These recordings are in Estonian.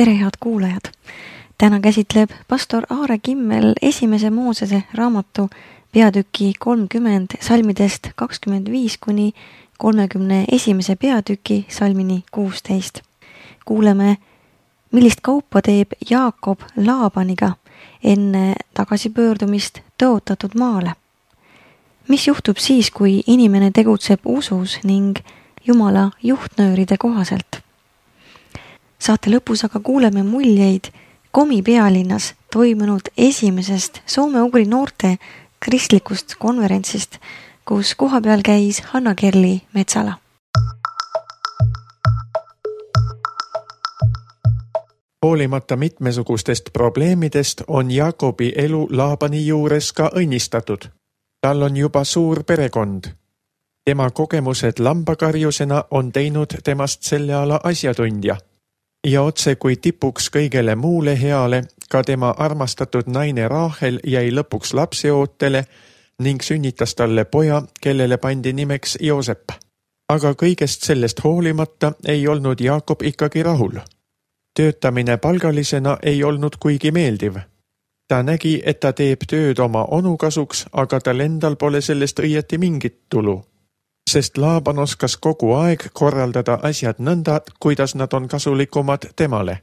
Tere, head kuulajad! Täna käsitleb pastor Aare Kimmel esimese Moosese raamatu peatüki 30 salmidest 25 kuni 31 peatüki salmini 16. Kuuleme, millist kaupa teeb Jaakob Laabaniga enne tagasipöördumist tõotatud maale. Mis juhtub siis, kui inimene tegutseb usus ning Jumala juhtnööride kohaselt? Saate lõpus aga kuuleme muljeid Komi pealinnas toimunud esimesest soome-ugri noorte kristlikust konverentsist, kus kohapeal käis Hanna-Kerli Metsala. Hoolimata mitmesugustest probleemidest on Jaakobi elu Laabani juures ka õnnistatud. Tal on juba suur perekond. Tema kogemused lambakarjusena on teinud temast selle ala asjatundja. Ja otse kui tipuks kõigele muule heale, ka tema armastatud naine Raahel jäi lõpuks lapseootele ning sünnitas talle poja, kellele pandi nimeks Joosep. Aga kõigest sellest hoolimata ei olnud Jaakob ikkagi rahul. Töötamine palgalisena ei olnud kuigi meeldiv. Ta nägi, et ta teeb tööd oma onu kasuks, aga tal endal pole sellest õieti mingit tulu. Sest Laaban oskas kogu aeg korraldada asjad nõnda, kuidas nad on kasulikumad temale.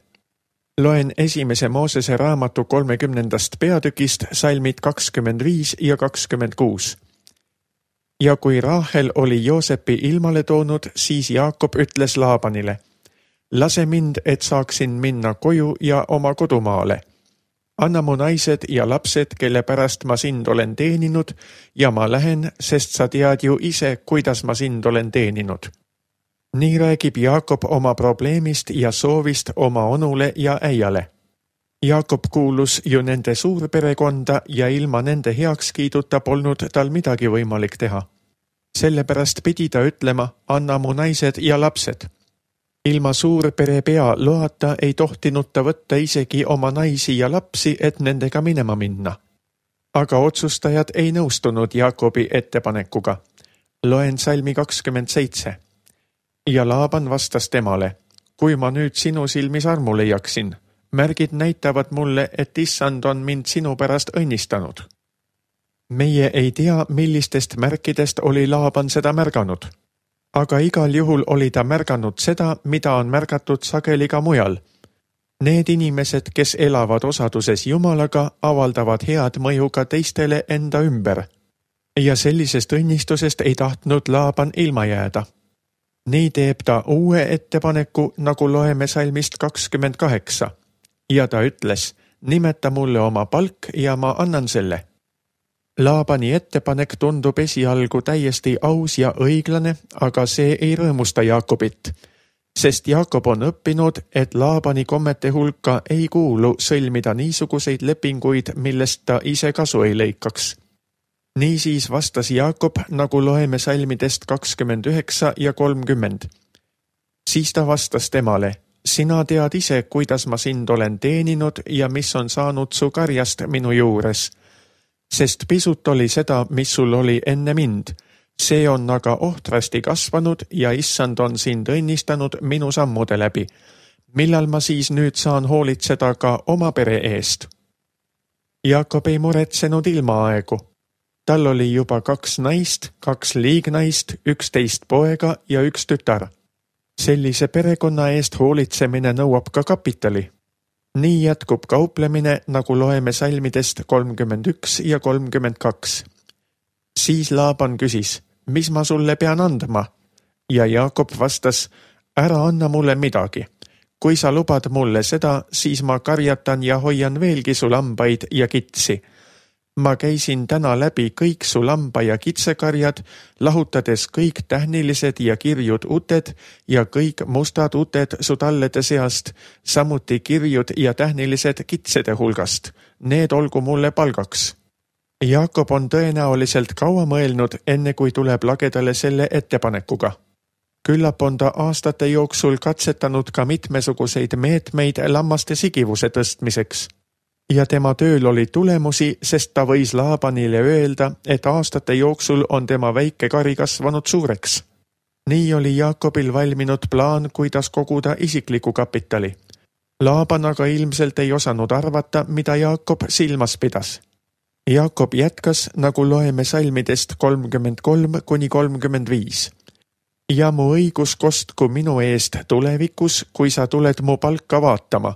Loen esimese Moosese raamatu 30. peatükist salmid 25 ja 26. Ja kui Raahel oli Joosepi ilmale toonud, siis Jaakob ütles Laabanile: lase mind, et saaksin minna koju ja oma kodumaale. Anna mu naised ja lapsed, kelle pärast ma sind olen teeninud, ja ma lähen, sest sa tead ju ise, kuidas ma sind olen teeninud. Nii räägib Jaakob oma probleemist ja soovist oma onule ja äiale. Jaakob kuulus ju nende suurperekonda ja ilma nende heakskiiduta polnud tal midagi võimalik teha. Sellepärast pidi ta ütlema: anna mu naised ja lapsed. Ilma suurpere pea loata ei tohtinud ta võtta isegi oma naisi ja lapsi, et nendega minema minna. Aga otsustajad ei nõustunud Jaakobi ettepanekuga. Loen salmi 27. Ja Laaban vastas temale: kui ma nüüd sinu silmis armu leiaksin, märgid näitavad mulle, et issand on mind sinu pärast õnnistanud. Meie ei tea, millistest märkidest oli Laaban seda märganud. Aga igal juhul oli ta märganud seda, mida on märgatud sageli ka mujal. Need inimesed, kes elavad osaduses Jumalaga, avaldavad head mõju ka teistele enda ümber. Ja sellisest õnnistusest ei tahtnud Laaban ilma jääda. Nii teeb ta uue ettepaneku, nagu loeme salmist 28. Ja ta ütles: nimeta mulle oma palk ja ma annan selle. Laabani ettepanek tundub esialgu täiesti aus ja õiglane, aga see ei rõõmusta Jaakobit, sest Jaakob on õppinud, et Laabani kommete hulka ei kuulu sõlmida niisuguseid lepinguid, millest ta ise kasu ei lõikaks. Niisiis vastas Jaakob, nagu loeme salmidest 29 ja 30. Siis ta vastas temale: sina tead ise, kuidas ma sind olen teeninud ja mis on saanud su karjast minu juures. Sest pisut oli seda, mis sul oli enne mind. See on aga ohtrasti kasvanud ja issand on sind õnnistanud minu sammude läbi. Millal ma siis nüüd saan hoolitseda ka oma pere eest? Jaakob ei muretsenud ilmaaegu. Tal oli juba 2 naist, 2 liignaist, 11 poega ja 1 tütar. Sellise perekonna eest hoolitsemine nõuab ka kapitali. Nii jätkub kauplemine, nagu loeme salmidest 31 ja 32. Siis Laaban küsis: mis ma sulle pean andma? Ja Jaakob vastas: ära anna mulle midagi. Kui sa lubad mulle seda, siis ma karjatan ja hoian veelgi su lambaid ja kitsi. Ma käisin täna läbi kõik su lamba- ja kitsekarjad, lahutades kõik tähnilised ja kirjud uted ja kõik mustad uted su tallede seast, samuti kirjud ja tähnilised kitsede hulgast. Need olgu mulle palgaks. Jaakob on tõenäoliselt kaua mõelnud, enne kui tuleb lagedale selle ettepanekuga. Küllap on ta aastate jooksul katsetanud ka mitmesuguseid meetmeid lammaste sigivuse tõstmiseks. Ja tema tööl oli tulemusi, sest ta võis Laabanile öelda, et aastate jooksul on tema väike kari kasvanud suureks. Nii oli Jaakobil valminud plaan, kuidas koguda isikliku kapitali. Laaban aga ilmselt ei osanud arvata, mida Jaakob silmas pidas. Jaakob jätkas, nagu loeme salmidest 33–35. Ja mu õigus kostku minu eest tulevikus, kui sa tuled mu palka vaatama.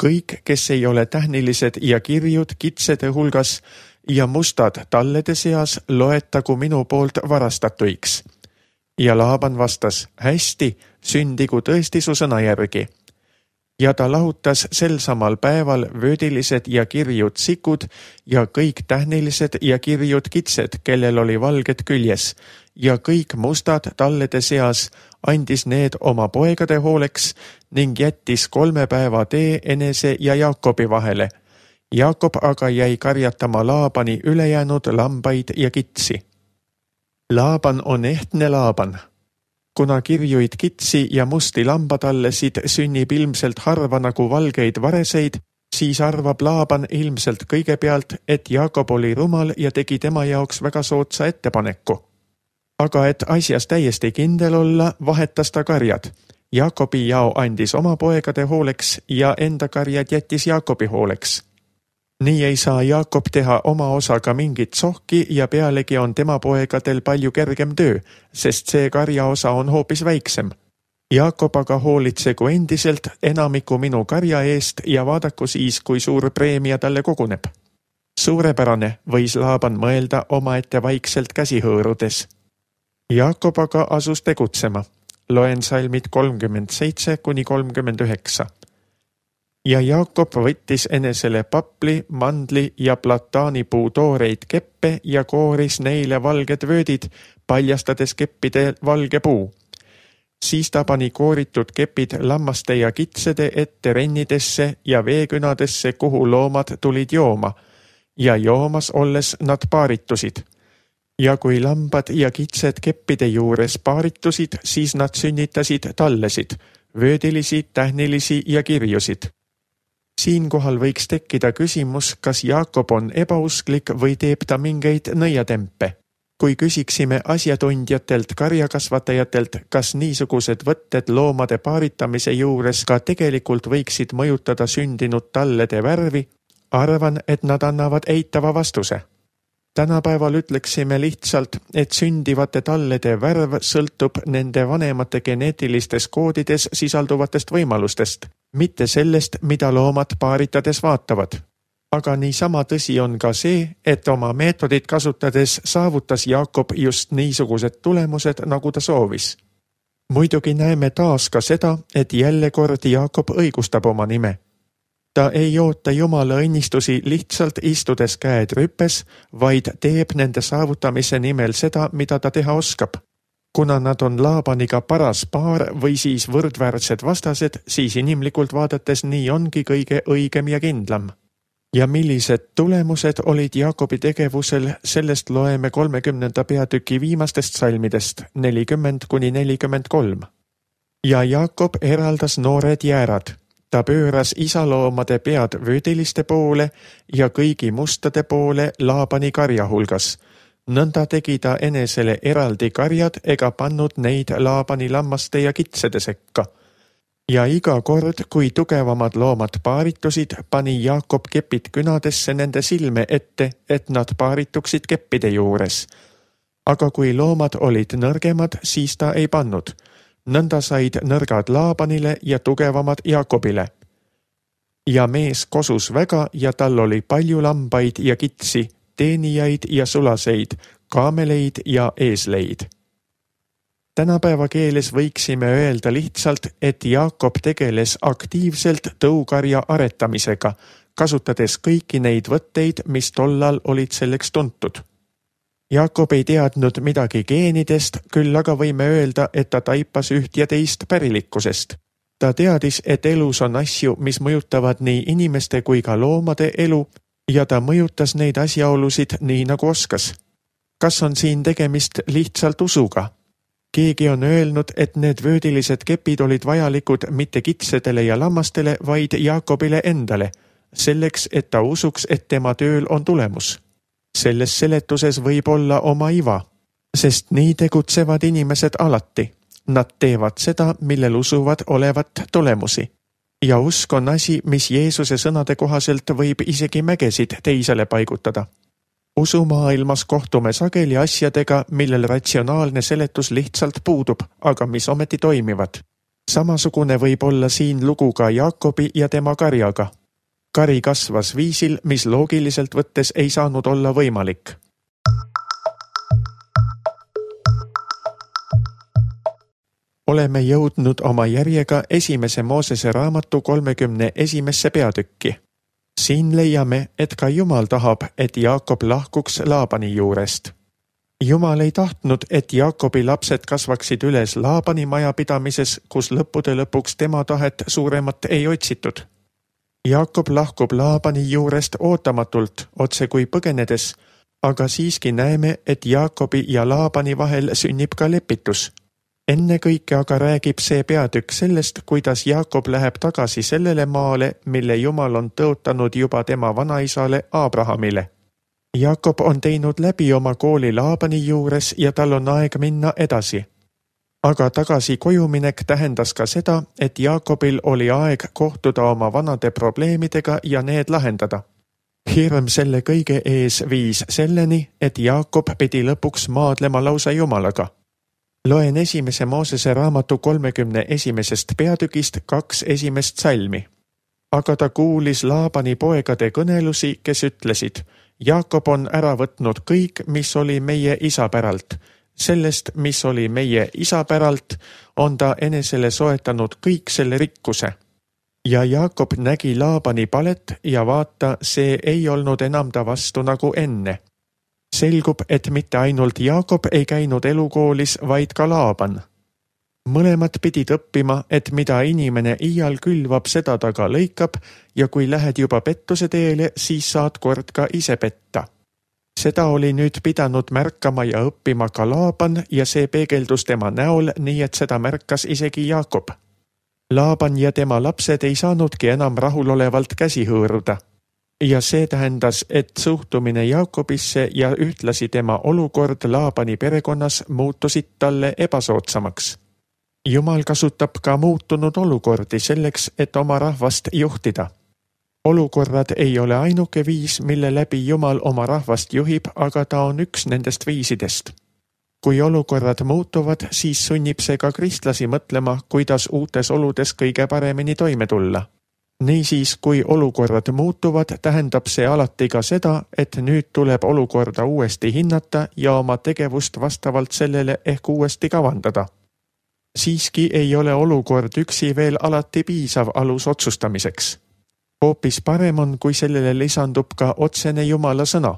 Kõik, kes ei ole tähnilised ja kirjud kitsede hulgas ja mustad tallede seas, loetagu minu poolt varastatuiks. Ja Laaban vastas, hästi, sündigu tõesti su sõna järgi. Ja ta lahutas sel samal päeval vöödilised ja kirjud sikud ja kõik tähnilised ja kirjud kitsed, kellel oli valged küljes, ja kõik mustad tallede seas andis need oma poegade hooleks ning jättis 3 päeva tee enese ja Jaakobi vahele. Jaakob aga jäi karjatama Laabani ülejäänud lambaid ja kitsi. Laaban on ehtne Laaban. Kuna kirjuid kitsi ja musti lambatallesid sünnib ilmselt harva nagu valgeid vareseid, siis arvab Laaban ilmselt kõigepealt, et Jaakob oli rumal ja tegi tema jaoks väga soodsa ettepaneku. Aga et asjas täiesti kindel olla, vahetas ta karjad. Jaakobi jao andis oma poegade hooleks ja enda karjad jättis Jaakobi hooleks. Nii ei saa Jaakob teha oma osaga mingit sohki ja pealegi on tema poegadel palju kergem töö, sest see karja osa on hoopis väiksem. Jaakob aga hoolitsegu endiselt enamiku minu karja eest ja vaadaku siis, kui suur preemia talle koguneb. Suurepärane, võis Laaban mõelda omaette vaikselt käsi hõõrudes. Jaakob aga asus tegutsema. Loen salmid 37–39. Ja Jaakob võttis enesele papli, mandli ja plataanipuu tooreid keppe ja kooris neile valged vöödid, paljastades keppide valge puu. Siis ta pani kooritud kepid lammaste ja kitsede ette rennidesse ja veekünadesse, kuhu loomad tulid jooma, ja joomas olles nad paaritusid. Ja kui lambad ja kitsed keppide juures paaritusid, siis nad sünnitasid tallesid, vöödilisi, tähnilisi ja kirjusid. Siinkohal võiks tekkida küsimus, kas Jaakob on ebausklik või teeb ta mingeid nõiatempe. Kui küsiksime asjatundjatelt, karjakasvatajatelt, kas niisugused võtted loomade paaritamise juures ka tegelikult võiksid mõjutada sündinud tallede värvi, arvan, et nad annavad eitava vastuse. Tänapäeval ütleksime lihtsalt, et sündivate tallede värv sõltub nende vanemate geneetilistes koodides sisalduvatest võimalustest, mitte sellest, mida loomad paaritades vaatavad. Aga niisama tõsi on ka see, et oma meetodit kasutades saavutas Jaakob just niisugused tulemused, nagu ta soovis. Muidugi näeme taas ka seda, et jälle kord Jaakob õigustab oma nime. Ta ei oota Jumala õnnistusi lihtsalt istudes käed rüpes, vaid teeb nende saavutamise nimel seda, mida ta teha oskab. Kuna nad on Laabaniga paras paar või siis võrdväärsed vastased, siis inimlikult vaadates nii ongi kõige õigem ja kindlam. Ja millised tulemused olid Jaakobi tegevusel, sellest loeme 30. peatüki viimastest salmidest 40–43. Ja Jaakob eraldas noored jäärad. Ta pööras isaloomade pead vöödiliste poole ja kõigi mustade poole Laabani karja hulgas. Nõnda tegi ta enesele eraldi karjad ega pannud neid Laabani lammaste ja kitsede sekka. Ja iga kord, kui tugevamad loomad paaritusid, pani Jaakob kepid künadesse nende silme ette, et nad paarituksid keppide juures. Aga kui loomad olid nõrgemad, siis ta ei pannud. Nõnda said nõrgad Laabanile ja tugevamad Jaakobile. Ja mees kosus väga ja tal oli palju lambaid ja kitsi, teenijaid ja sulaseid, kaameleid ja eesleid. Tänapäeva keeles võiksime öelda lihtsalt, et Jaakob tegeles aktiivselt tõukarja aretamisega, kasutades kõiki neid võtteid, mis tollal olid selleks tuntud. Jaakob ei teadnud midagi geenidest, küll aga võime öelda, et ta taipas üht ja teist pärilikkusest. Ta teadis, et elus on asju, mis mõjutavad nii inimeste kui ka loomade elu, ja ta mõjutas neid asjaolusid nii nagu oskas. Kas on siin tegemist lihtsalt usuga? Keegi on öelnud, et need vöödilised kepid olid vajalikud mitte kitsedele ja lammastele, vaid Jaakobile endale, selleks, et ta usuks, et tema tööl on tulemus. Selles seletuses võib olla oma iva, sest nii tegutsevad inimesed alati. Nad teevad seda, millel usuvad olevat tulemusi. Ja usk on asi, mis Jeesuse sõnade kohaselt võib isegi mägesid teisele paigutada. Usumaailmas kohtume sageli asjadega, millel ratsionaalne seletus lihtsalt puudub, aga mis ometi toimivad. Samasugune võib olla siin lugu ka Jaakobi ja tema karjaga. Kari kasvas viisil, mis loogiliselt võttes ei saanud olla võimalik. Oleme jõudnud oma järjega esimese Moosese raamatu 31. peatükki. Siin leiame, et ka Jumal tahab, et Jaakob lahkuks Laabani juurest. Jumal ei tahtnud, et Jaakobi lapsed kasvaksid üles Laabani majapidamises, kus lõppude lõpuks tema tahet suuremat ei otsitud. Jaakob lahkub Laabani juurest ootamatult, otse kui põgenedes, aga siiski näeme, et Jaakobi ja Laabani vahel sünnib ka lepitus. Enne kõike aga räägib see peatükk sellest, kuidas Jaakob läheb tagasi sellele maale, mille Jumal on tõotanud juba tema vanaisale Abrahamile. Jaakob on teinud läbi oma kooli Laabani juures ja tal on aeg minna edasi. Aga tagasi kojuminek tähendas ka seda, et Jaakobil oli aeg kohtuda oma vanade probleemidega ja need lahendada. Hirm selle kõige ees viis selleni, et Jaakob pidi lõpuks maadlema lausa Jumalaga. Loen esimese Moosese raamatu 31. peatükist 2 esimest salmi. Aga ta kuulis Laabani poegade kõnelusi, kes ütlesid, Jaakob on ära võtnud kõik, mis oli meie isa päralt. Sellest, mis oli meie isa päralt, on ta enesele soetanud kõik selle rikkuse. Ja Jaakob nägi Laabani palet ja vaata, see ei olnud enam ta vastu nagu enne. Selgub, et mitte ainult Jaakob ei käinud elukoolis, vaid ka Laaban. Mõlemad pidid õppima, et mida inimene iial külvab, seda ta ka lõikab ja kui lähed juba pettuse teele, siis saad kord ka ise petta. Seda oli nüüd pidanud märkama ja õppima ka Laaban ja see peegeldus tema näol, nii et seda märkas isegi Jaakob. Laaban ja tema lapsed ei saanudki enam rahulolevalt käsi hõõruda. Ja see tähendas, et suhtumine Jaakobisse ja ühtlasi tema olukord Laabani perekonnas muutusid talle ebasoodsamaks. Jumal kasutab ka muutunud olukordi selleks, et oma rahvast juhtida. Olukorrad ei ole ainuke viis, mille läbi Jumal oma rahvast juhib, aga ta on üks nendest viisidest. Kui olukorrad muutuvad, siis sunnib see ka kristlasi mõtlema, kuidas uutes oludes kõige paremini toime tulla. Niisiis, kui olukorrad muutuvad, tähendab see alati ka seda, et nüüd tuleb olukorda uuesti hinnata ja oma tegevust vastavalt sellele ehk uuesti kavandada. Siiski ei ole olukord üksi veel alati piisav alus otsustamiseks. Hoopis parem on, kui sellele lisandub ka otsene Jumala sõna.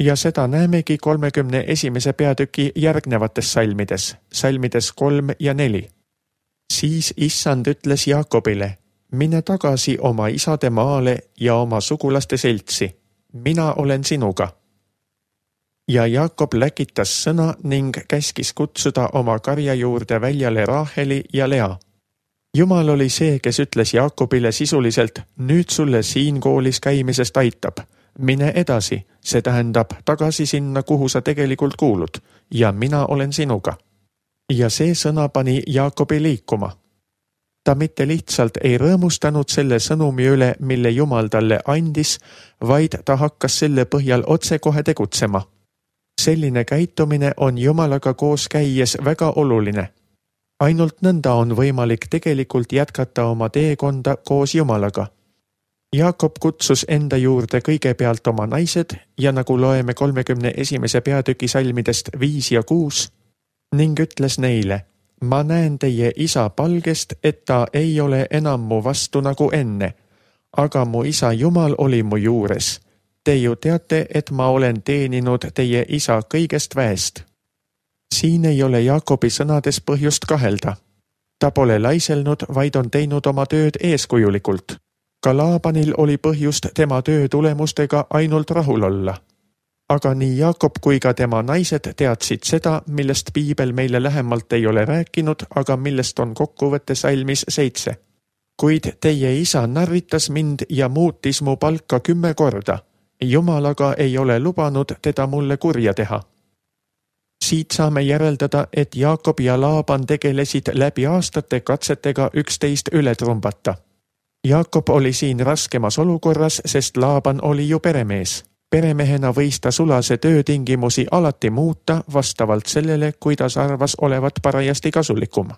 Ja seda näemegi 31. peatüki järgnevates salmides, salmides 3 ja 4. Siis Issand ütles Jaakobile, mine tagasi oma isade maale ja oma sugulaste seltsi. Mina olen sinuga. Ja Jaakob läkitas sõna ning käskis kutsuda oma karja juurde väljale Raaheli ja Lea. Jumal oli see, kes ütles Jaakobile sisuliselt, nüüd sulle siin koolis käimisest aitab. Mine edasi, see tähendab tagasi sinna, kuhu sa tegelikult kuulud, ja mina olen sinuga. Ja see sõna pani Jaakobi liikuma. Ta mitte lihtsalt ei rõõmustanud selle sõnumi üle, mille Jumal talle andis, vaid ta hakkas selle põhjal otsekohe tegutsema. Selline käitumine on Jumalaga koos käies väga oluline. Ainult nõnda on võimalik tegelikult jätkata oma teekonda koos Jumalaga. Jaakob kutsus enda juurde kõigepealt oma naised ja nagu loeme 31. peatüki salmidest 5 ja 6 ning ütles neile, ma näen teie isa palgest, et ta ei ole enam mu vastu nagu enne, aga mu isa Jumal oli mu juures. Te ju teate, et ma olen teeninud teie isa kõigest väest. Siin ei ole Jaakobi sõnades põhjust kahelda. Ta pole laiselnud, vaid on teinud oma tööd eeskujulikult. Ka Laabanil oli põhjust tema töö tulemustega ainult rahul olla. Aga nii Jaakob kui ka tema naised teadsid seda, millest Piibel meile lähemalt ei ole rääkinud, aga millest on kokkuvõtte salmis 7. Kuid teie isa narritas mind ja muutis mu palka 10 korda. Jumal aga ei ole lubanud teda mulle kurja teha. Siit saame järeldada, et Jaakob ja Laaban tegelesid läbi aastate katsetega üksteist üle trumbata. Jaakob oli siin raskemas olukorras, sest Laaban oli ju peremees. Peremehena võis ta sulase töötingimusi alati muuta vastavalt sellele, kuidas arvas olevat parajasti kasulikum.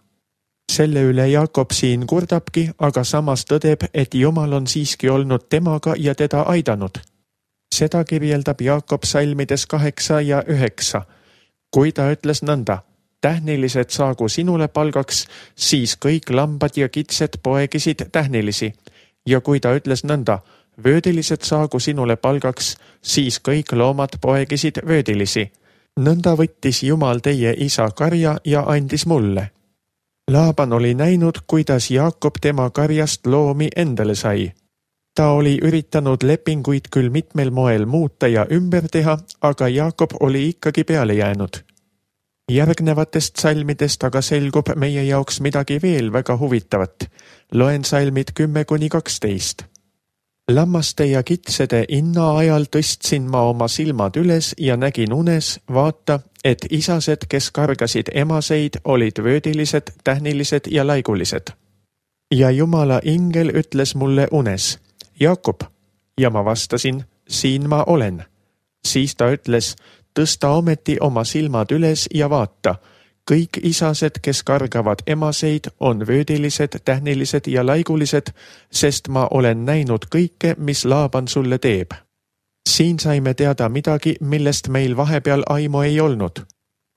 Selle üle Jaakob siin kurdabki, aga samas tõdeb, et Jumal on siiski olnud temaga ja teda aidanud. Seda kirjeldab Jaakob salmides 8 ja 9, kui ta ütles nõnda: tähnilised saagu sinule palgaks, siis kõik lambad ja kitsed poegisid tähnilisi. Ja kui ta ütles nõnda: vöödilised saagu sinule palgaks, siis kõik loomad poegisid vöödilisi. Nõnda võttis Jumal teie isa karja ja andis mulle. Laaban oli näinud, kuidas Jaakob tema karjast loomi endale sai. Ta oli üritanud lepinguid küll mitmel moel muuta ja ümber teha, aga Jaakob oli ikkagi peale jäänud. Järgnevatest salmidest aga selgub meie jaoks midagi veel väga huvitavat. Loen salmid 10-12. Lammaste ja kitsede inna ajal tõstsin ma oma silmad üles ja nägin unes, vaata, et isased, kes kargasid emaseid, olid vöödilised, tähnilised ja laigulised. Ja Jumala ingel ütles mulle unes: Jaakob, ja ma vastasin: siin ma olen. Siis ta ütles: tõsta ometi oma silmad üles ja vaata, kõik isased, kes kargavad emaseid, on vöödilised, tähnilised ja laigulised, sest ma olen näinud kõike, mis Laaban sulle teeb. Siin saime teada midagi, millest meil vahepeal aimu ei olnud.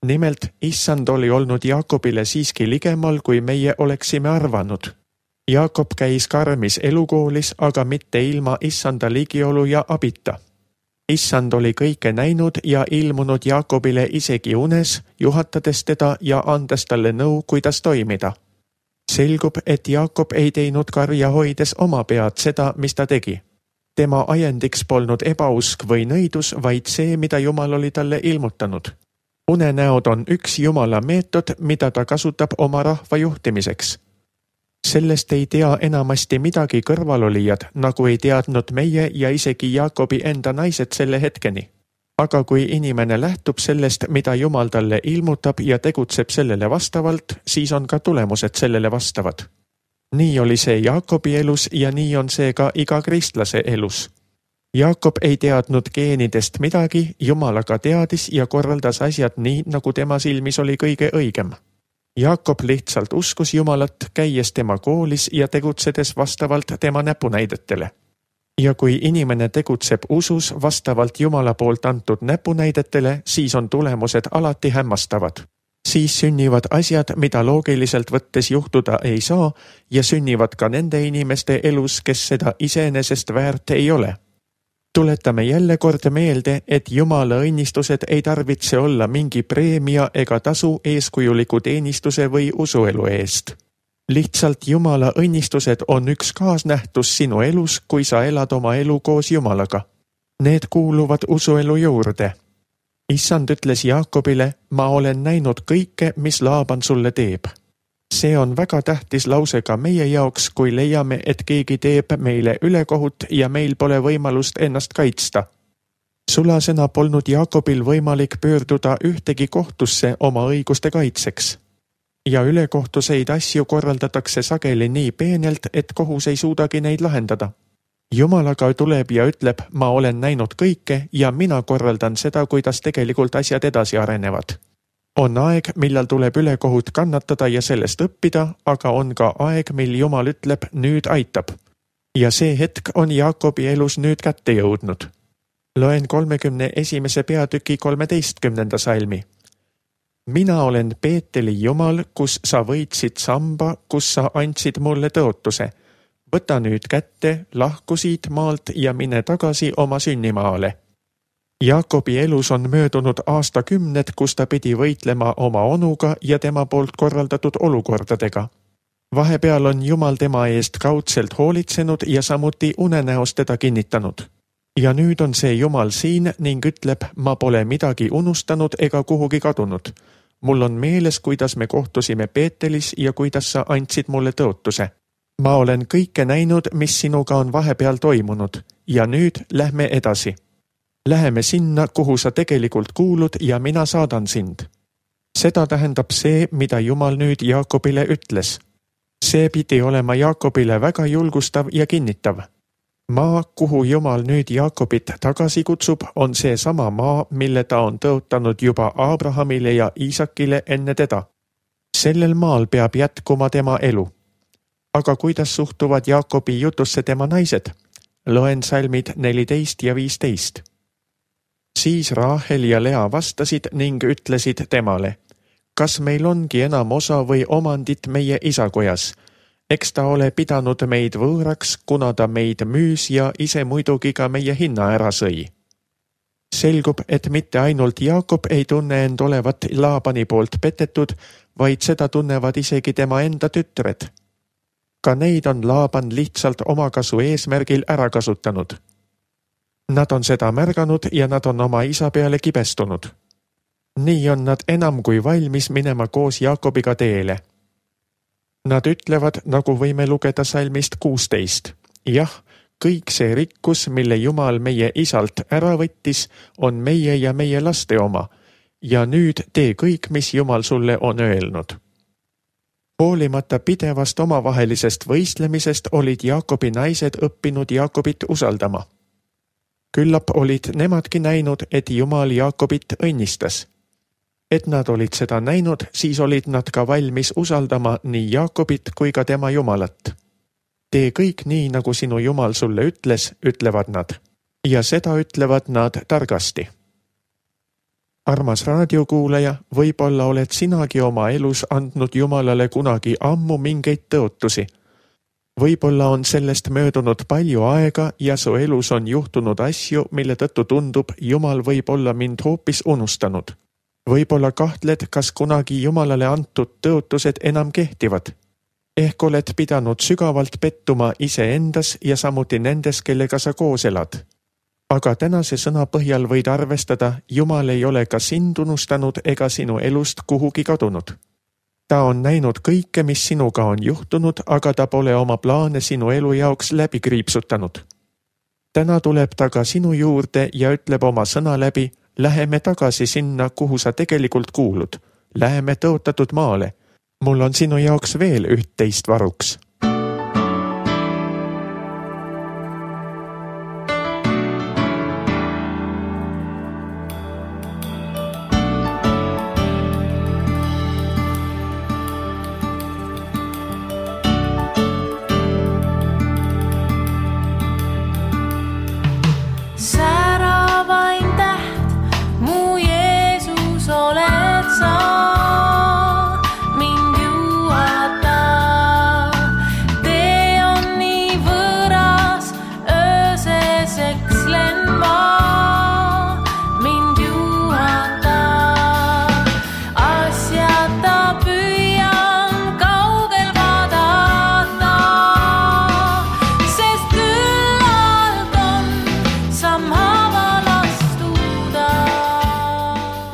Nimelt, issand oli olnud Jaakobile siiski ligemal, kui meie oleksime arvanud. Jaakob käis karmis elukoolis, aga mitte ilma issanda ligiolu ja abita. Issand oli kõike näinud ja ilmunud Jaakobile isegi unes, juhatades teda ja andes talle nõu, kuidas toimida. Selgub, et Jaakob ei teinud karja hoides oma pead seda, mis ta tegi. Tema ajendiks polnud ebausk või nõidus, vaid see, mida Jumal oli talle ilmutanud. Unenäod on üks Jumala meetod, mida ta kasutab oma rahva juhtimiseks. Sellest ei tea enamasti midagi kõrvalolijad, nagu ei teadnud meie ja isegi Jaakobi enda naised selle hetkeni. Aga kui inimene lähtub sellest, mida Jumal talle ilmutab ja tegutseb sellele vastavalt, siis on ka tulemused sellele vastavad. Nii oli see Jaakobi elus ja nii on see ka iga kristlase elus. Jaakob ei teadnud geenidest midagi, Jumal aga teadis ja korraldas asjad nii, nagu tema silmis oli kõige õigem. Jaakob lihtsalt uskus Jumalat, käies tema koolis ja tegutsedes vastavalt tema näpunäidetele. Ja kui inimene tegutseb usus vastavalt Jumala poolt antud näpunäidetele, siis on tulemused alati hämmastavad. Siis sünnivad asjad, mida loogiliselt võttes juhtuda ei saa, ja sünnivad ka nende inimeste elus, kes seda iseenesest väärt ei ole. Tuletame jälle kord meelde, et Jumala õnnistused ei tarvitse olla mingi preemia ega tasu eeskujuliku teenistuse või usuelu eest. Lihtsalt Jumala õnnistused on üks kaasnähtus sinu elus, kui sa elad oma elu koos Jumalaga. Need kuuluvad usuelu juurde. Issand ütles Jaakobile: ma olen näinud kõike, mis Laaban sulle teeb. See on väga tähtis lause ka meie jaoks, kui leiame, et keegi teeb meile ülekohut ja meil pole võimalust ennast kaitsta. Sulasena polnud Jaakobil võimalik pöörduda ühtegi kohtusse oma õiguste kaitseks. Ja ülekohtuseid asju korraldatakse sageli nii peenelt, et kohus ei suudagi neid lahendada. Jumal aga tuleb ja ütleb: ma olen näinud kõike ja mina korraldan seda, kuidas tegelikult asjad edasi arenevad. On aeg, millal tuleb ülekohut kannatada ja sellest õppida, aga on ka aeg, mil Jumal ütleb: nüüd aitab. Ja see hetk on Jaakobi elus nüüd kätte jõudnud. Loen 31. peatüki 13. salmi. Mina olen Peeteli Jumal, kus sa võitsid samba, kus sa andsid mulle tõotuse. Võta nüüd kätte, lahku siit maalt ja mine tagasi oma sünnimaale. Jaakobi elus on möödunud aastakümned, kus ta pidi võitlema oma onuga ja tema poolt korraldatud olukordadega. Vahepeal on Jumal tema eest kaudselt hoolitsenud ja samuti unenäos teda kinnitanud. Ja nüüd on see Jumal siin ning ütleb: ma pole midagi unustanud ega kuhugi kadunud. Mul on meeles, kuidas me kohtusime Peetelis ja kuidas sa andsid mulle tõotuse. Ma olen kõike näinud, mis sinuga on vahepeal toimunud ja nüüd lähme edasi. Läheme sinna, kuhu sa tegelikult kuulud ja mina saadan sind. Seda tähendab see, mida Jumal nüüd Jaakobile ütles. See pidi olema Jaakobile väga julgustav ja kinnitav. Maa, kuhu Jumal nüüd Jaakobit tagasi kutsub, on see sama maa, mille ta on tõotanud juba Abrahamile ja Iisakile enne teda. Sellel maal peab jätkuma tema elu. Aga kuidas suhtuvad Jaakobi jutusse tema naised? Loen salmid 14 ja 15. Siis Raahel ja Lea vastasid ning ütlesid temale: kas meil ongi enam osa või omandit meie isakojas? Eks ta ole pidanud meid võõraks, kuna ta meid müüs ja ise muidugi ka meie hinna ära sõi. Selgub, et mitte ainult Jaakob ei tunne end olevat Laabani poolt petetud, vaid seda tunnevad isegi tema enda tütred. Ka neid on Laaban lihtsalt omakasu eesmärgil ära kasutanud. Nad on seda märganud ja nad on oma isa peale kibestunud. Nii on nad enam kui valmis minema koos Jaakobiga teele. Nad ütlevad, nagu võime lugeda salmist 16. Jah, kõik see rikkus, mille Jumal meie isalt ära võttis, on meie ja meie laste oma. Ja nüüd tee kõik, mis Jumal sulle on öelnud. Hoolimata pidevast omavahelisest võistlemisest olid Jaakobi naised õppinud Jaakobit usaldama. Küllap olid nemadki näinud, et Jumal Jaakobit õnnistas. Et nad olid seda näinud, siis olid nad ka valmis usaldama nii Jaakobit kui ka tema Jumalat. Tee kõik nii, nagu sinu Jumal sulle ütles, ütlevad nad. Ja seda ütlevad nad targasti. Armas raadiokuulaja, võib-olla oled sinagi oma elus andnud Jumalale kunagi ammu mingeid tõotusi. Võib-olla on sellest möödunud palju aega ja su elus on juhtunud asju, mille tõttu tundub, Jumal võib olla mind hoopis unustanud. Võib-olla kahtled, kas kunagi Jumalale antud tõotused enam kehtivad. Ehk oled pidanud sügavalt pettuma iseendas ja samuti nendes, kellega sa koos elad. Aga tänase sõna põhjal võid arvestada, Jumal ei ole ka sind unustanud ega sinu elust kuhugi kadunud. Ta on näinud kõike, mis sinuga on juhtunud, aga ta pole oma plaane sinu elu jaoks läbi kriipsutanud. Täna tuleb ta ka sinu juurde ja ütleb oma sõna läbi: läheme tagasi sinna, kuhu sa tegelikult kuulud. Läheme tõotatud maale. Mul on sinu jaoks veel üht-teist varuks.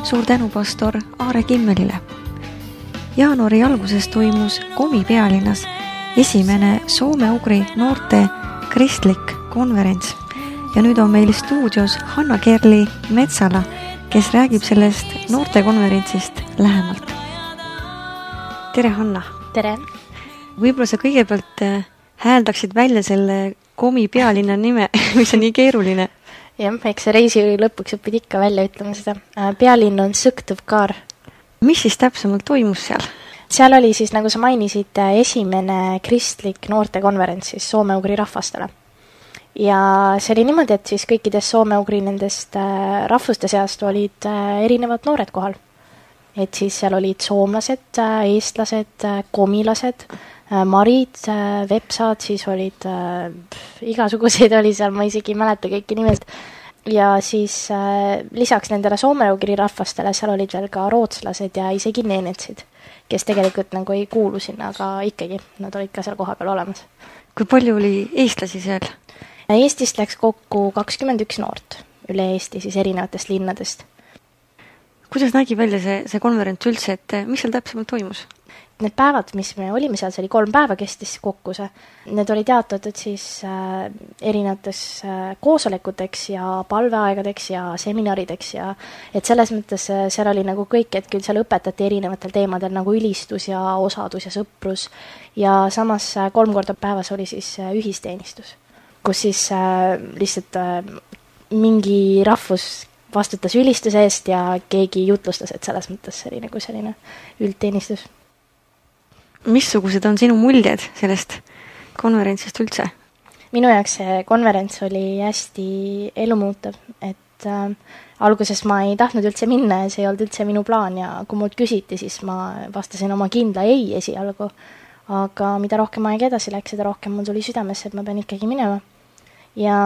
Suur tänu pastor Aare Kimmelile. Jaanuari alguses toimus Komi pealinnas esimene soome-ugri noorte kristlik konverents ja nüüd on meil stuudios Hanna-Kerli Metsala, kes räägib sellest noortekonverentsist lähemalt. Tere, Hanna! Tere! Võib-olla sa kõigepealt hääldaksid välja selle Komi pealinna nime, mis on nii keeruline. Jah, eks see reisi lõpuks õpid ikka välja ütlema seda. Pealinn on Sõktõvkaar. Mis siis täpsemalt toimus seal? Seal oli siis, nagu sa mainisid, esimene kristlik noortekonverents siis soome-ugri rahvastele. Ja see oli niimoodi, et siis kõikidest soome-ugri nendest rahvuste seast olid erinevad noored kohal. Et siis seal olid soomlased, eestlased, komilased, marid, vepsad, siis olid igasuguseid oli seal, ma isegi ei mäleta kõiki nimelt. Ja siis lisaks nendele soome-ugri rahvastele seal olid veel ka rootslased ja isegi neenetsid, kes tegelikult nagu ei kuulu sinna, aga ikkagi nad olid ka seal koha peal olemas. Kui palju oli eestlasi seal? Eestist läks kokku 21 noort üle Eesti siis erinevatest linnadest. Kuidas nägi välja see konverents üldse, et mis seal täpsemalt toimus? need päevad, mis me olime seal, see oli 3 päeva kestis kokku see, need olid jaotatud siis erinevates koosolekuteks ja palveaegadeks ja seminarideks ja et selles mõttes seal oli nagu kõik, et küll seal õpetati erinevatel teemadel nagu ülistus ja osadus ja sõprus ja samas 3 korda päevas oli siis ühisteenistus, kus siis lihtsalt mingi rahvus vastutas ülistuse eest ja keegi jutlustas, et selles mõttes see oli nagu selline üldteenistus. Missugused on sinu muljed sellest konverentsist üldse? Minu jaoks see konverents oli hästi elumuutav, et alguses ma ei tahtnud üldse minna ja see ei olnud üldse minu plaan ja kui mult küsiti, siis ma vastasin oma kindla ei esialgu, aga mida rohkem aeg edasi läks, seda rohkem mul tuli südamesse, et ma pean ikkagi minema. Ja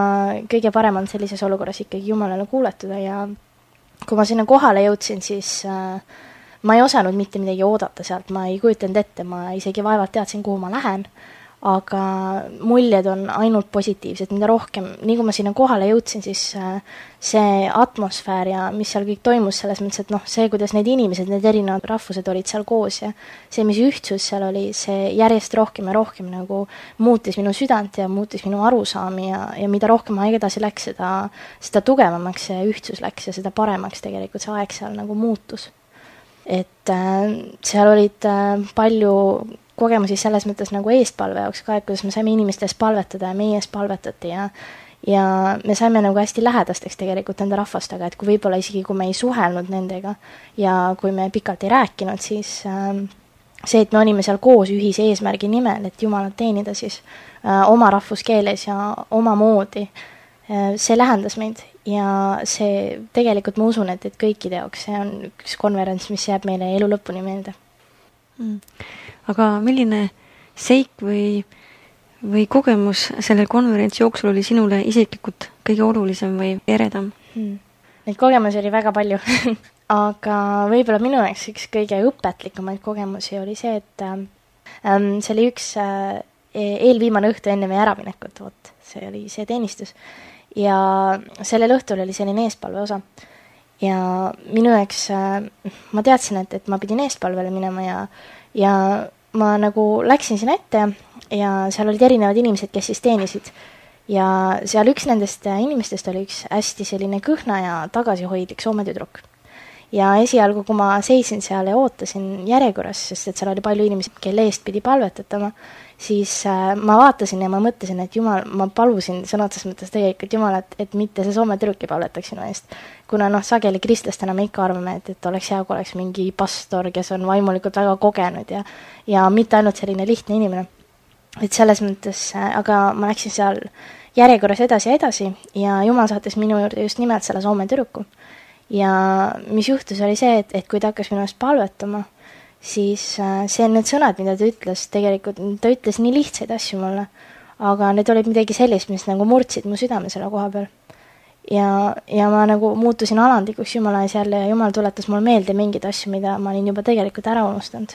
kõige parem on sellises olukorras ikkagi Jumalale kuuletuda ja kui ma sinna kohale jõudsin, siis ma ei osanud mitte midagi oodata sealt, ma ei kujutanud ette, ma isegi vaevalt teadsin, kuhu ma lähen, aga muljed on ainult positiivsed, mida rohkem, nii kui ma sinna kohale jõudsin, siis see atmosfäär ja mis seal kõik toimus selles mõttes, et see, kuidas need inimesed, need erinevad rahvused olid seal koos ja see, mis ühtsus seal oli, see järjest rohkem ja rohkem nagu muutis minu südant ja muutis minu arusaami ja mida rohkem aeg edasi läks, seda tugevamaks see ühtsus läks ja seda paremaks tegelikult see aeg seal nagu muutus. Et seal olid palju kogemusi selles mõttes nagu eestpalve jaoks ka, et kuidas me saime inimeste eest palvetada ja meie eest palvetati ja me saime nagu hästi lähedasteks tegelikult nende rahvastega, et kui võib-olla isegi kui me ei suhelnud nendega ja kui me pikalt ei rääkinud, siis see, et me olime seal koos ühise eesmärgi nimel, et Jumalat teenida siis oma rahvuskeeles ja oma moodi, see lähendas meid ja see tegelikult ma usun, et kõikide jaoks see on üks konverents, mis jääb meile elu lõpuni meelde. Aga milline seik või kogemus sellel konverentsi jooksul oli sinule isiklikult kõige olulisem või eredam? Neid kogemusi oli väga palju, aga võib-olla minu jaoks üks kõige õpetlikumaid kogemusi oli see, et see oli üks eelviimane õhtu enne meie äraminekut, see oli see teenistus ja sellel õhtul oli selline eespalve osa ja minu jaoks ma teadsin, et ma pidin eespalvele minema ja ma nagu läksin sinna ette ja seal olid erinevad inimesed, kes siis teenisid ja seal üks nendest inimestest oli üks hästi selline kõhna ja tagasihoidlik Soome tüdruk. Ja esialgu, kui ma seisin seal ja ootasin järjekorras, sest et seal oli palju inimesi, kelle eest pidi palvetatama, siis ma vaatasin ja ma mõtlesin, et Jumal, ma palusin sõna otseses mõttes tegelikult Jumal, et mitte see Soome tüdruk ei palvetaks sinu eest. Kuna sageli kristlastena me ikka arvame, et oleks hea, kui oleks mingi pastor, kes on vaimulikult väga kogenud ja mitte ainult selline lihtne inimene. Et selles mõttes, aga ma läksin seal järjekorras edasi ja Jumal saatis minu juurde just nimelt selle Soome tüdruku. Ja mis juhtus oli see, et kui ta hakkas minu eest palvetama, siis see need sõnad, mida ta ütles, tegelikult ta ütles nii lihtsaid asju mulle, aga need olid midagi sellist, mis nagu murdsid mu südame selle koha peal. Ja ma nagu muutusin alandikuks Jumala ees jälle ja Jumal tuletas mulle meelde mingeid asju, mida ma olin juba tegelikult ära unustanud.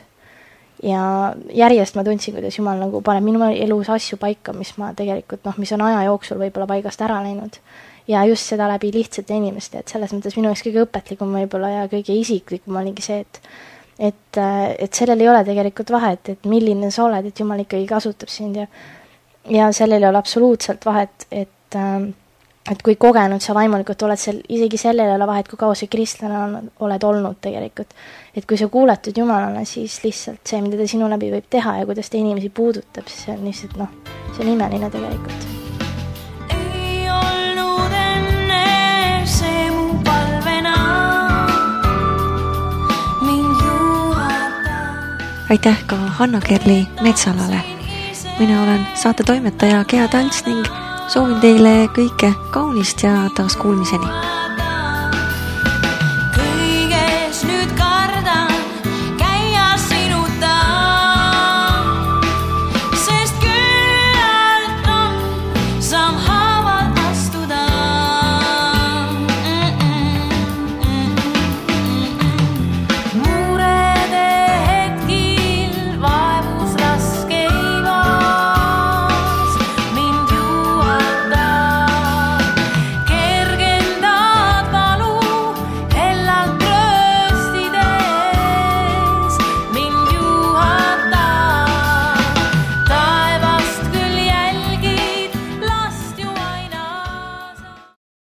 Ja järjest ma tundsin, kuidas Jumal nagu paneb minu elus asju paika, mis ma tegelikult, mis on aja jooksul võib-olla paigast ära läinud. Ja just seda läbi lihtsate inimeste, et selles mõttes minu jaoks kõige õpetlikum võib-olla ja kõige isiklikum oligi see, et sellel ei ole tegelikult vahet, et milline sa oled, et Jumal ikkagi kasutab sind ja sellel ei ole absoluutselt vahet, et kui kogenud sa vaimulikult oled seal, isegi sellel ei ole vahet, kui kaua sa kristlane oled olnud tegelikult. Et kui sa kuuletud Jumalale, siis lihtsalt see, mida ta sinu läbi võib teha ja kuidas ta inimesi puudutab, siis see on lihtsalt, see on imeline tegelikult. Aitäh ka Hanna-Kerli Metsalale. Mina olen saate toimetaja Gea Tants ning soovin teile kõike kaunist ja taas kuulmiseni.